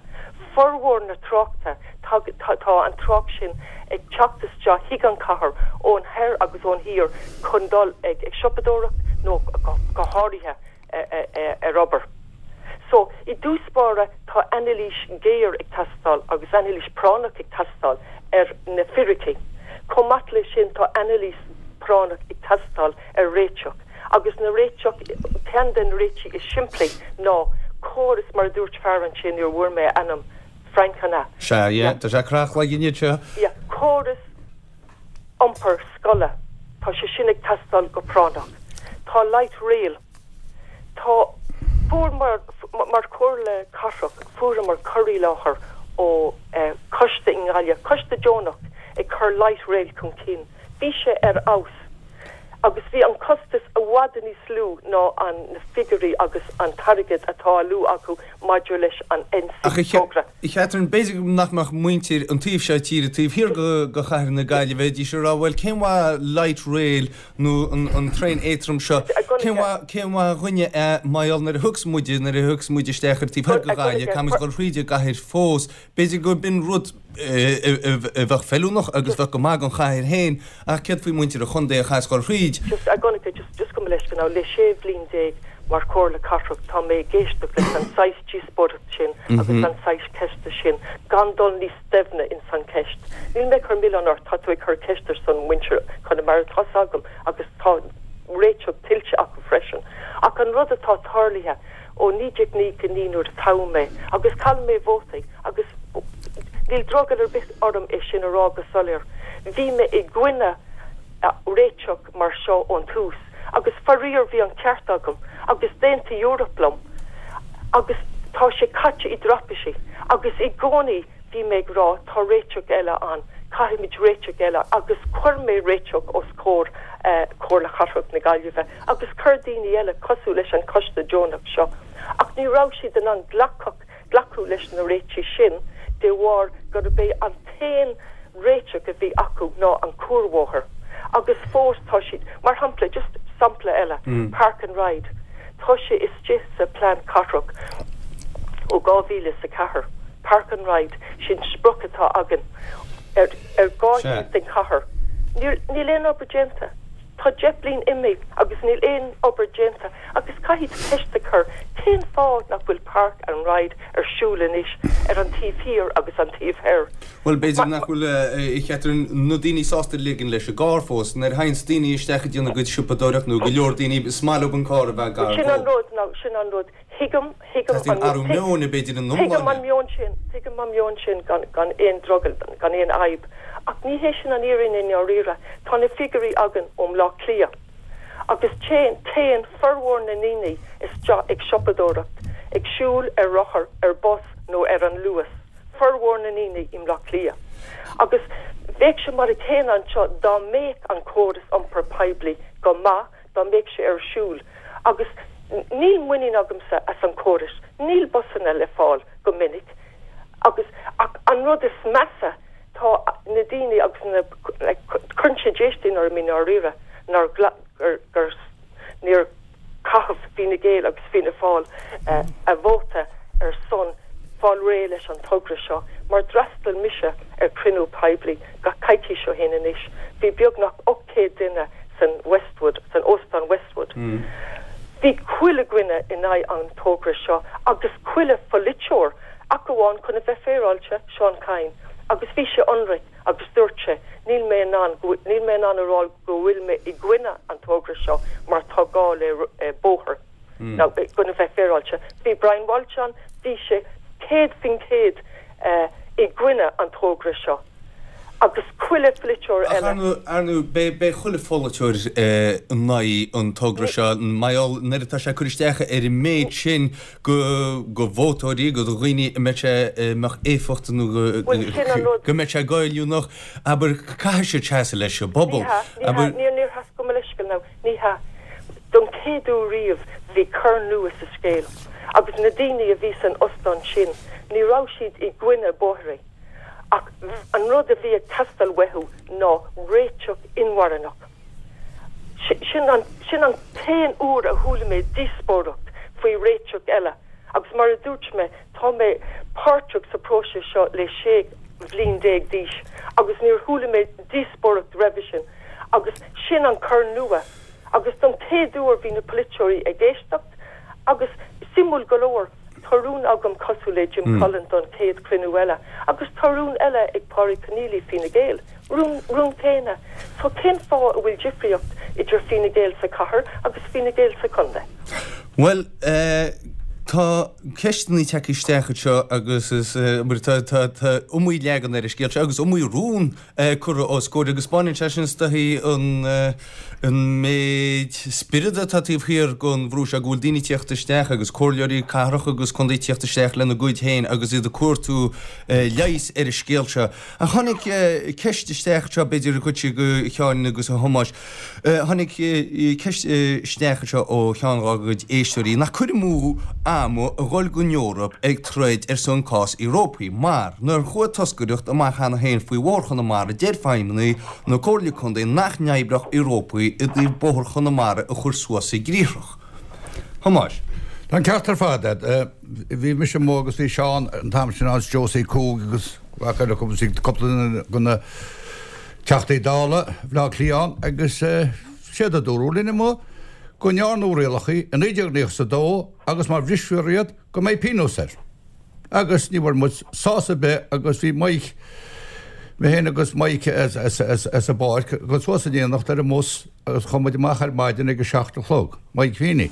Formhór na tráchta tá, tá, tá an trácht sin ag teacht isteach chuig an cathair ón thoir agus ón thiar chun dul ag, ag siopadóireacht nó go, go háirithe ar obair. So i dtús báire tá anailís géar ag teastáil agus anailís práinneach ag teastáil ar na fíricí. Chomh maith leis sin tá anailís práinneach ag teastáil ar réiteach. Agus na réiteach ceann den réitigh is simplí ná córas mar dúirt fear ansin níor bhfuair mé ainm Francana. Sea tá sé crachle seo? Ja, córas iompar scoile Tá sé sin ag teastáil go práinneach. Tá light rail. Tá fuair mar mar chomhairle cathrach fuaireamar cur i láthair ó eh, coiste i nGaillimh, coiste deonach ag cur light rail chun cinn. Bhí sé ar fheabhas. Agus bhí an costas i bhfad níos lú ná an na figiúirí agus an t-airgead atá á lua acu maidir leis an Ach togra. Catherine b'fhéidir nach mbeadh muintir an taobh seo tíre taobh thiar go go chathair na Gaillimhe b'fhéidir rá bhfuil cén mhaith light rail nó an, an traein éadrom seo cén mhaith dúinne maiol nuair a thiocfas muide nuair a thiocfas muide isteach ar taobh thiar go Gaillimh caithfimid dul thríd an gcathair fós b'fhéidir go b'in rud a bheadh feiliúnach agus bheadh go maith don chathair féin ach céard faoi muintir an chontae a chaithfeas dul thríd. Just a gona just just go leis go le sé bliana déag mar chomhairle cathrach tá mé ag éisteacht leis an saghas díospóireacht sin agus an saghas ceiste sin gan dul níos doimhne in san ceist. Níl mé ag cur milleán ort tá tú ag cur ceist ar son muintir Chonamara tá agam agus tá réiteach tuillte acu freisin. Ach an rud atá tarlaithe ó naoi déag naocha naoi nuair a toghadh mé agus chaill mé vótaí agus níl drogall ar bith orm é sin a rá go soiléir. Bhí mé i gcoinne réiteach mar seo ón tús, agus faraor bhí an ceart agam agus d'aontaigh Europe liom agus tá sé caite i dtraipisí agus i gcónaí bhí mé ag rá tá réiteach eile ann caithfimid réiteach eile agus chuir mé réiteach os comhair eh, Comhairle Cathrach na Gaillimhe agus chuir daoine eile cosúil leis an coiste deonach seo ach ní raibh siad in ann glacadh glacadh leis na réitigh sin de bharr gurb é an t-aon réiteach a bhí acu ná an cuarbhóthar agus fós tá siad mar shampla just sampla eile mm. park and ride tá sé istigh sa plean cathrach ó dhá mhíle sa ceathair park and ride sin sprioc atá againn ar ar dhá den chathair níl aon obair déanta Tá deich mbliana imithe agus níl aon obair déanta agus caithfidh ceist a chur cén Cén fáth nach bhfuil park and ride ar siúl anois ar an taobh thiar agus an taobh thoir? Bhuel, b'fhéidir nach bhfuil a Chatherine, na daoine sásta ligean leis an gcarr fós. Nuair a théanns daoine isteach ag déanamh a gcuid siopadóireacht nó go leor daoine, is maith leo an carr a bheith gar Sin an dóibh. rud, now, sin an rud. Tuigim, tuigim Teastaíonn an, athrú meoin, b'fhéidir, ina tuigim an iomláine. meon sin, tuigim an meon sin gan, gan aon drogall, gan aon fhadhb. Ach ní hé sin an fhírinne i ndáiríre. Tá na figiúirí againn ó Bhleá Cliath. Agus téann, téann formhór na ndaoine isteach ag siopadóireacht, ag siúl ar rothar, ar bus nó ar an Luas. Formhór na ndaoine i mBleá Cliath. Agus bheadh sé mar a chéanna anseo dá mbeadh an córas iompar poiblí go maith, dá mbeadh sé ar siúl. Agus níl muinín agamsa as an córas, níl busanna le fáil go minic. Agus ach an rud is measa tá na daoine agus na like, cuireann sé déistin orm i ndáiríre nár gla- gur, gur níor caitheamh Fine Gael agus Fianna Fáil uh, a vóta ar son fáil réidh leis an togra seo, mar d'fhreastail mise ar cruinniú poiblí gach coicís ó shin anois. Bhí beagnach ocht céad duine san Westwood, san Óstán Westwood. Mm. Bhí chuile dhuine in aghaidh an togra seo agus chuile pholaiteoir ach amháin chun a bheith féaráilte Seán Kyne agus bhí sé ionraic agus dúirt sé níl mé in ann go- níl mé in ann a rá go bhfuil mé i gcoinne an togra seo mar tá gá le eh, bóthar. Mm. Now, chun a bheith féaráilte. Bhí Brian Walsh ann, bhí sé céad faoin céad uh, i gcoinne an togra seo. Agus chuile pholaiteoir Ach eile. ar ar ndóigh beidh chuile pholaiteoir in aghaidh an togra seo maiol nuair atá sé curtha isteach ar an méid sin go go vótóirí go do dhaoine a mbeidh sé mbeadh éifeacht nó go Bhuel, sin an rud. go mbeidh sé goilliúnach abair caithfidh siad seasamh leis an bpobal. Ní hea, ní hea, Abair níor níor has go leisceal ná ní hea. Don chéad uair riamh bhí cor nua sa scéal. Agus na daoine a bhí san óstán sin, ní raibh siad i gcoinne bóithre. Ach an rud a bhí ag teastáil uathu ná réiteach inmharthanach. Sin an, sin an t-aon uair a chuala mé díospóireacht faoi réiteach eile. Agus mar a dúirt mé tá mé páirteach sa próiseas seo le sé bhliain déag d'aois, agus níor chuala mé díospóireacht roimhe sin, agus sin an cor nua. Agus don chéad uair bhí na polaiteoirí ag éisteacht, agus suimiúil go leor tá rún agam cosúil le Jim mm. Cullen don chéad cruinniú eile, agus tá rún eile ag Pádraig Conneely Fine Gael. Rún, rún céanna. So cén fáth a bhfuil difríocht idir Fine Gael sa chathair agus Fine Gael sa chontae. Well, uh, tá ceisteanna tagtha isteach seo agus is uh, mar tá tá tá iomaí leagan ar an scéal seo agus iomaí rún uh, curtha os comhair agus baineann sé sin staií an uh, an méid spiorad atá taobh thiar den bhrú seo go bhfuil daoine teacht isteach agus comhairleoirí cathrach agus contae teacht isteach lena gcuid féin agus iad ag cuartú uh, leigheas ar an scéal seo. A tháinig uh, ceist isteach seo b'fhéidir go chuid go Sheáin agus a Thomáis. Uh, tháinig uh, ceist uh, isteach seo ó cheann dá gcuid éisteoirí nach cur amú ama a dhul go Eoraip ag troid ar son cás Eorpaí mar nuair chuaigh toscaireacht amach cheana féin faoi Bhóthar Chonamara deir feidhmeannaigh na Comhairle Contae nach n-oibreodh Eorpaí i dtaobh Bóthar Chonamara a chur suas i gcriathrach. Thomáis. Tá an ceart ar fad bhí mise amuigh agus bhí Seán an t-am sin agus Josie Cúg agus cúpla de na Teachtaí Dála Bhleá Cliath agus siad a dúirt linn amuigh go ndearnadh rialacha i naoi déag nócha a dó agus má bhrisfear iad go mbeidh pionós air. Agus ní bhfuair muid sásamh ar bith agus bhí Mike mé féin agus Mike as as as as a báirc go suas in éineacht ar an mbus agus chuaigh muid amach ar maidin ag a seacht a chlog, Mike Feeney.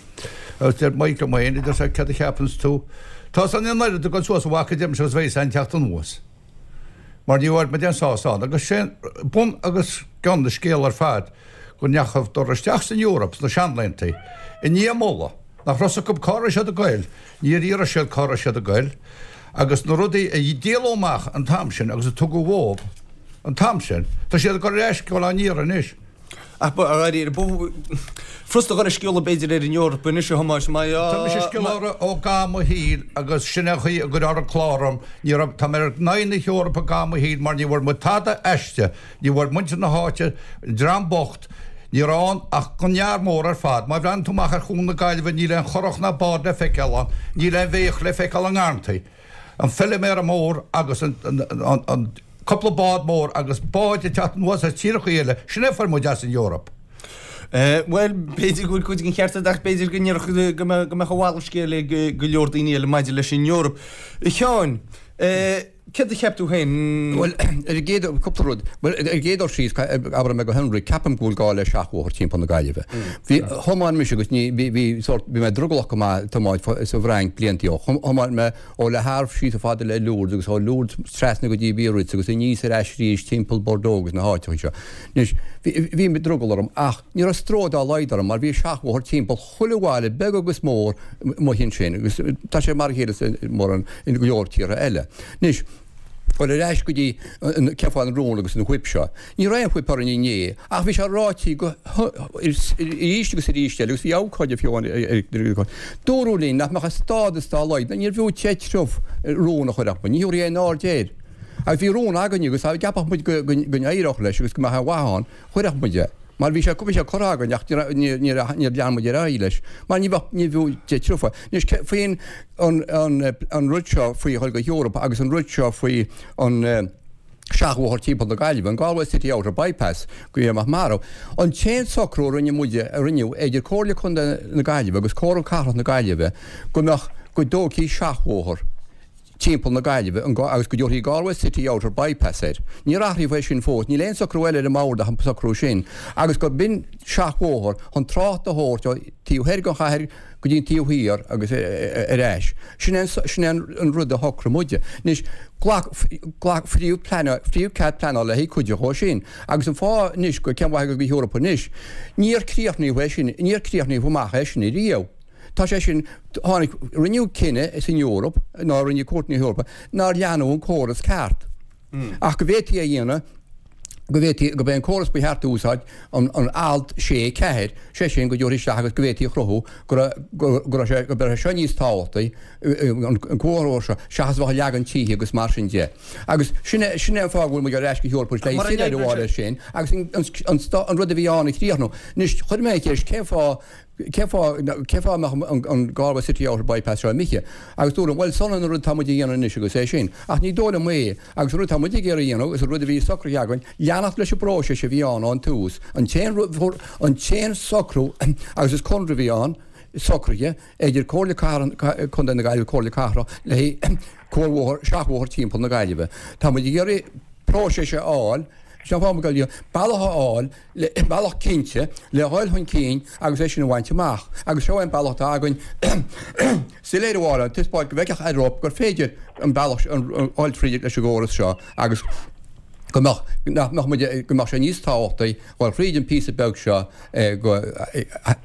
Agus deir Mike liom féin idir sé cad a cheapanns tú. Tá san an oiread go suas a bhaca dem seos bhéis an teacht anuas. Mar ní bhfuair muid aon sásamh agus sin bun agus ceann na scéal ar fad go ndeachadar isteach san Eoraip sna seanlaethanta. I ndiaidh moladh nach raibh acu cá raibh siad ag goil, níor iarr siad cá raibh siad ag goil, agus na rudaí a díoladh amach an t-am sin agus a tugadh dóibh an t-am sin, tá siad ag cur ar ais go an iar anois. Ach ba furasta a scéal b'fhéidir ar an Eoraip anois a Thomáis má Tá mise scoláire ó ga mo shaol agus sin a chaoi a gur ar an cláram ní raibh tá mé in aghaidh na hEorpa ga mo shaol mar ní bhfuair muid tada aisti, ní bhfuair muintir na háite dream bocht, ní raibh ann ach gunnear mór ar fad, má bhreathnaíonn tú amach ar Chuan na Gaillimhe níl aon churach ná bád le feiceáil ann, níl aon bhéach le feiceáil i ngarrantaí. An feilméara mór agus an, an, an, an cúpla bád mór agus báid ag teacht anuas as tíortha eile, sin é fuair muid as an Eoraip. Bhuel, b'fhéidir go bhfuil cuid den cheart agat ach b'fhéidir go ndéarfadh go mbeadh a mhalairt scéil ag go leor daoine eile maidir leis an Eoraip. A Sheáin, céard a cheap tú féin? Bhuel, ar an gcéad, cúpla rud. Bhuel, ar an gcéad dul síos, abrfaidh mé go hionraic, ceapaim go bhfuil gá le seachbhóthar timpeall na Gaillimhe. Bhí, thiomáin mise agus ní, bhí, bhí sórt, bhí mé drogallach go maith tiomáint sa bhFrainc blianta ó. Thiomáin mé ó Le Havre síos chomh fada le Lourdes agus ó Lourdes trasna go dtí Biarritz agus aníos ar ais arís timpeall Bordeaux agus na háiteacha seo. Anois, bhí, bhí drogall orm ach ní raibh stró dá laghad orm mar bhí seachbhóthar timpeall chuile bhaile beag agus mór amuigh ansin agus tá sé mar a chéile sa mórán in go leor tíortha eile. Anois, dul ar ais go dtí an cén fáth an rún agus an whip seo. Ní raibh aon whip orainn inné ach bhí sé ráite go arís agus arís eile agus bhí abhcóide fiú amháin Dúradh linn nach mbeadh stádas dá laghad, níorbh fhiú deich triuf rún a chur acu, ní thabharfaí aon aird air. Agus bhí rún againne agus dá gceapfadh muid go n-éireodh leis agus go mbeadh aon mhaith ann, chuirfeadh muid é. Mar bhí sé bhí sé curtha againn ach níor níor lean muid ar aghaidh leis. Mar ní bheadh ní bhfiú deich triuf. Anois faoin an an an rud seo faoi dhul go hEoraip agus an rud seo faoi an seachbhóthar timpeall na Gaillimhe, an Galway City Outer Bypass, go mbeadh marbh. An t-aon socrú a rinne muide, a rinneadh idir Comhairle Contae na Gaillimhe agus Comhairle Cathrach na Gaillimhe go mbeadh, go dtógfaí seachbhóthar timpeall na Gaillimhe agus go dtabharfaí Galway City Outer Bypass air. Níor athraíodh é sin fós, níl aon socrú eile ar an mbord ach an socrú sin, agus gur b'in seachbhóthar chun trácht a thabhairt ó taobh thoir den chathair go dtí an taobh thiar agus ar ais. Sin é sin é an rud a shocraigh muide. Anois, ghlac, ghlac, fríodh pleanáil, fríodh cead pleanála le haghaidh cuid dhó sin. Agus an fáth anois go cén mhaith go hEoraip anois, níor críochnaíodh é sin, níor críochnaíodh amach é sin ariamh. Tá sé sin, tháinig, rinneadh cinneadh san Eoraip, ná rinne Cúirt na hEorpa, nár leanadh an córas ceart. Ach go bhféadfaí é a dhéanamh, go bhféadfaí, gurb é an córas ba cheart a úsáid, an, an alt sé ceathair, sé sin go dtabharfaí isteach agus go bhféadfaí a chruthú go raibh, go, go raibh sé, go raibh sé seo níos tábhachtaí, an, an cuarbhóthar seo, seachas a bheith ag leagan tithe agus mar sin de. Agus sin é, sin é an fáth go bhfuil muid ar ais go hEoraip le soiléiriú a fháil air sin agus an, an, an, an rud a bhí ann a chríochnú. Anois, chuir mé an cheist, cén fáth, Cén fáth, cén fáth a mbeadh an Galway City Outer Bypass seo imithe? Agus dúradh, bhuel, san an rud atá muid a dhéanamh anois agus é sin. Ach ní dóigh liom é. Agus an rud atá muid ag iarraidh a dhéanamh, agus an rud a bhí socraithe againn, leanacht leis an bpróiseas a bhí ann ón tús. An t-aon rud, an t-aon socrú, agus is conradh a bhí ann, socraithe idir Comhairle Cathrach, Contae na Gaillimhe, Comhairle Cathrach, le haghaidh cuarbhóthar, seachbhóthar timpeall na Gaillimhe. Tá muid ag iarraidh próiseas a fháil, sin an fáth go bhfuil bealach a fháil, le bealach cinnte le dhul chun cinn agus é sin a bhaint amach. Agus seo é an bealach atá againn soiléiriú a fháil ann, taispeáint go bhfeicfeadh Eoraip gur féidir an bealach a dhul tríd leis an gcóras seo agus go mbeadh, nach mbeadh muid, go mbeadh sé níos tábhachtaí dhul thríd an píosa beag seo go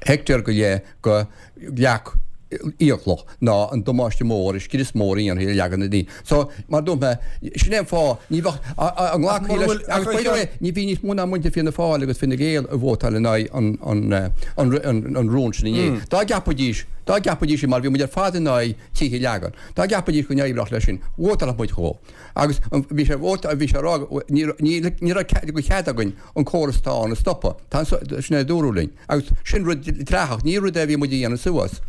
heicteár go leith go leac iathchloch ná an damáiste mór, an scrios mór a dhéanfaí ar leagan na daoine. So, mar a dúirt mé, sin é an fáth, ní bheadh, an nglacfaí leis, agus by the way, ní bhí níos mó ná muintir Fianna Fáil agus Fine Gael a vótáil in aghaidh an, an, an, an rún sin inné. Dá gceapfaidís, dá gceapfaidís, mar bhí muid ar fad in aghaidh tithe a leagan, dá gceapfaidís go n-oibreodh leis sin, vótálfadh muid dhó. Agus bhí sé, bhí sé a rá, ní, ní, ní raibh de chead againn an córas atá ann a stopadh. Tá, sin é a dúradh linn. Agus sin rud dleathach, ní rud é a bhí muid a dhéanamh suas.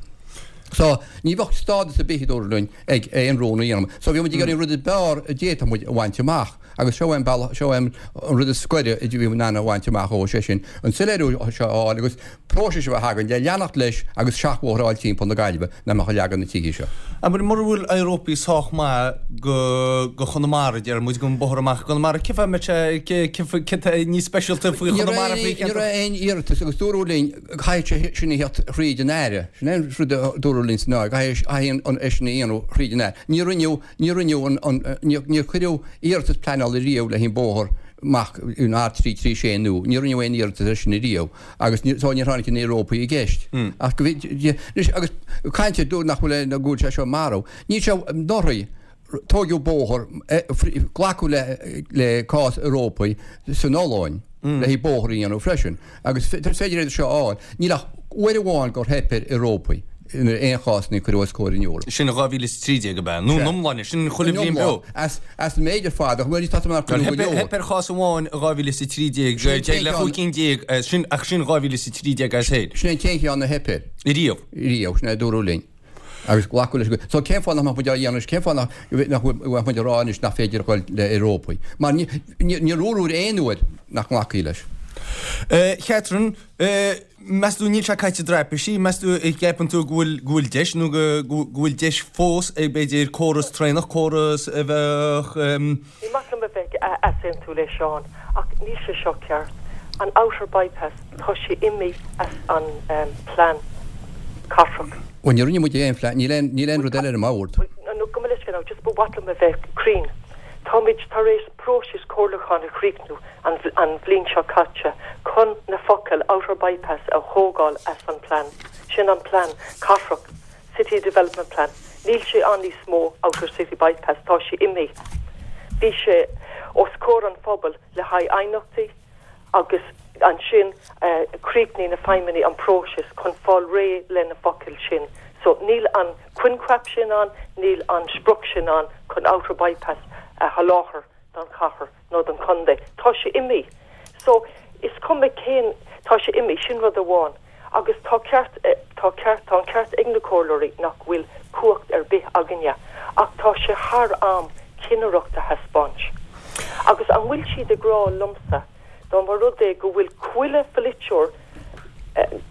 So, ní bheadh stádas ar bith, a dúradh linn, ag aon rún a dhéanamh. So, bhí muid ag iarraidh an rud is fearr a d'fhéadfadh muid a bhaint amach. Agus seo é an bealach, seo é an rud is gaire a bhí muid in ann a bhaint amach ó, sé sin, an soiléiriú seo a fháil agus próiseas a bheith againn le leanacht leis agus seachbhóthar a fháil timpeall na Gaillimhe nach mbeadh ag leagan na tithe seo. Abair, mura bhfuil Eoraip sách maith go go Chonamara, deir muid, don bóthar amach i gConamara, cén fáth a mbeadh sé, cé tá níos speisialta faoi Ní Chonamara raibh faoi aon, ní cheantar? raibh aon iarratas agus dúradh linn caithfidh sé sin a theacht thríd an Aire. Sin é an rud a dúradh linn san áit, caithfidh caithfidh an é sin a dhéanamh thríd an Aire. Ní rinneadh, ní rinneadh an, an, níor, níor cuireadh iarratas pleanála riamh le haghaidh an bóthar amach an R trí trí sé nua. Ní rinneadh aon iarratas air sin riamh agus ní, so níor tháinig an Eoraip i gceist. Ach go bhí, anois agus caint ar dúradh nach bhfuil aon, go bhfuil sé seo marbh. Níl sé, anuraidh, tóigeadh bóthar, glacadh le le cás Eorpaigh san Ollainn le haghaidh bóthar a dhéanamh freisin agus is féidir iad seo a fháil. Níl ach uair amháin gur theip ar Eorpaigh in aon chás a cuireadh os comhair an Eoraip. Sin dhá mhíle is a trí déag ab ea? Nó an iomláine, sin chuile bhliain beo? As as an méid ar fad, ach bhuel tá mé ag Theip theip ar chás amháin i dhá mhíle is a trí déag, le chúig cinn déag, sin ach sin dhá mhíle is a trí déag as féin. Sin é an t-aon cheann a theip air. Riamh. Riamh, sin é a dúradh linn. Agus glacadh leis. So cén fáth nach mbeadh muid á dhéanamh anois? Cén fáth nach nach mbeadh muid ag rá anois nach féidir a dhul le Eorpaigh? Mar ní níor dúradh aon uair nach nglacfaí leis. Catherine, meas tú níl sé caite i dtraipisí, meas tú an gceapann tú go bhfuil go bhfuil deis nó go go bhfuil deis fós ag b'fhéidir córas traenach, córas a bheadh. Ní maith liom a bheith ag easaontú le Seán ach níl sé seo ceart. An Outer Bypass, tá sé imithe as an plean cathrach. Bhuel, ní rinne muid aon phlean, níl aon níl aon rud eile ar an mbord. No, gabh mo leithscéal now, just ba mhaith liom a bheith cruinn. Táimid tar éis próiseas comhairliúcháin a chríochnú an an bhliain seo caite chun na focail Outer Bypass a thógáil as an plean. Sin an plean cathrach, City Development Plan. Níl sé ann níos mó, Outer City Bypass, tá sé imithe. Bhí sé os comhair an phobail le haghaidh aighneachtaí agus ansin chríochnaigh na feidhmeannaigh an próiseas chun fáil réidh le na focail sin. So níl an coincheap sin ann, níl an sprioc sin ann chun Outer Bypass a sholáthar don chathair nó don chontae. Tá sé imithe. So is cuma cén, tá sé imithe, sin rud amháin. Agus tá ceart, tá ceart, tá an ceart ag na comhairleoirí nach bhfuil cumhacht ar bith againne. Ach tá sé thar am cinnireacht a thaispeáint. Agus an bhfuil siad ag rá liomsa, dá mba rud é go bhfuil chuile pholaiteoir,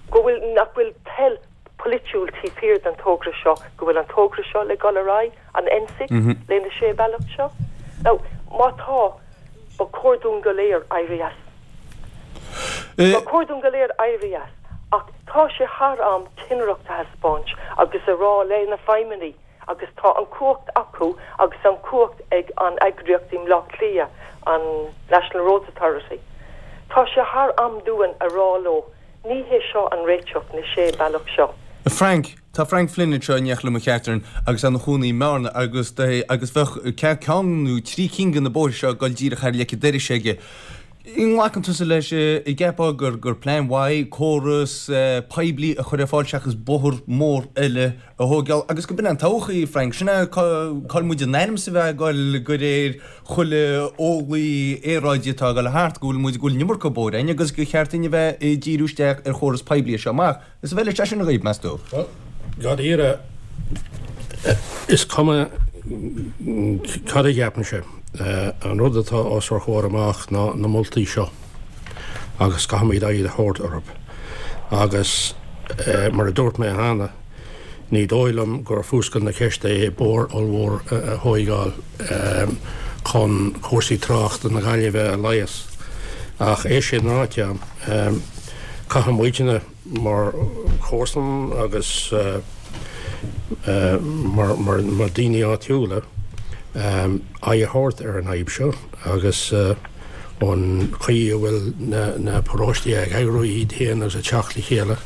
go bhfuil, nach bhfuil toil pholaitiúil taobh thiar den togra seo, go bhfuil an togra seo le dul ar aghaidh, an N six, le na sé bealach seo? Now, má tá, ba chóir dúinn go léir éirí as. Ba chóir dúinn go léir éirí as. Ach tá sé thar am cinnireacht a thaispeáint agus a rá le na feidhmeannaigh agus tá an cumhacht acu agus an cumhacht ag an eagraíocht i mBleá Cliath, an National Roads Authority. Tá sé thar am dúinn a rá leo, ní hé seo an réiteach na sé bealach seo. Frank, Tá Frank Flynn anseo in éineacht liom a Chatherine agus ina chónaí i mBearna agus agus bheadh ceann nó trí cinn de na bóithre seo ag dul díreach thar leic an dorais aige. An nglacann tusa leis, an gceapfá gur gur plean mhaith córas poiblí a chur ar fáil seachas bóthar mór eile a thógáil agus go b'in an todhchaí, Frank, sin é cá bhfuil muid in ainm is a bheith ag dul de réir chuile eolaí aeráide atá ag dul thart, go bhfuil muid go bhfuil an iomarca bóithre againn agus gur cheart dúinn a bheith ag díriú isteach ar chóras poiblí as seo amach. Is an bhfeileann sé sin dhaoibh, meas tú? Bhuel, dáiríre, is cuma cad a cheapaimse, an rud atá os ár chomhair amach ná na moltaí seo agus caithfimid aghaidh a thabhairt orthu. Agus mar a dúirt mé cheana, ní dóigh liom gur fuascailt na ceiste é bóthar ollmhór a thóigeáil chun cúrsaí tráchta na Gaillimhe a leigheas. Ach é sin ráite, caithfidh muidne mar chomharsan agus mar mar daoine áitiúla aghaidh a thabhairt ar an fhadhb seo agus an chaoi a bhfuil na paróistí ag eagrú iad féin agus ag teacht le chéile,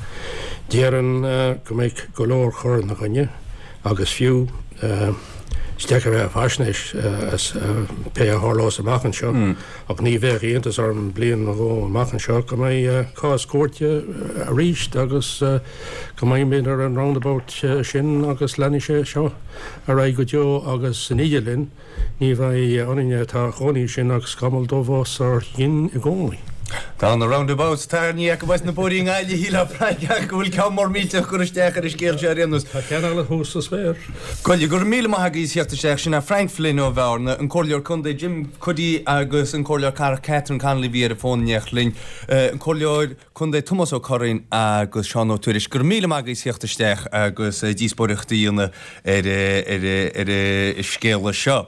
déarfainn go mbeidh go leor cur ina gcoinne agus fiú is deacair a bheith ag faisnéis as pé a tharlós amach anseo ach ní bheadh iontas orm bliain nó dhó amach anseo go mbeidh cás cúirte arís agus go mbeimid ar an roundabout sin agus leanfaidh sé seo ar aghaidh go deo agus san idirlinn ní bheidh orainne atá ina gcónaí ansin ach scamall dubh os ár gcionn i gcónaí. Tá na roundabouts tarraingthe acu as na bóithrí i nGaillimh, shílfeá Frank ach go bhfuil ceann mór millteach curtha isteach ar an scéal seo ar aon nós. Tá ceann eile thuas sa spéir. Go go raibh míle maith agaibh as theacht isteach. Sin é Frank Flynn ó Bhearna, an Comhairleoir Contae Jim Cuddy agus an Comhairleoir Cathrach Catherine Connolly bhí ar an bhfón in éineacht linn, an Comhairleoir Contae Tomás Ó Curraoin agus Seán Ó Tuairisg. Go raibh míle maith agaibh as theacht isteach agus díospóireacht a dhéanamh ar ar ar an scéala seo.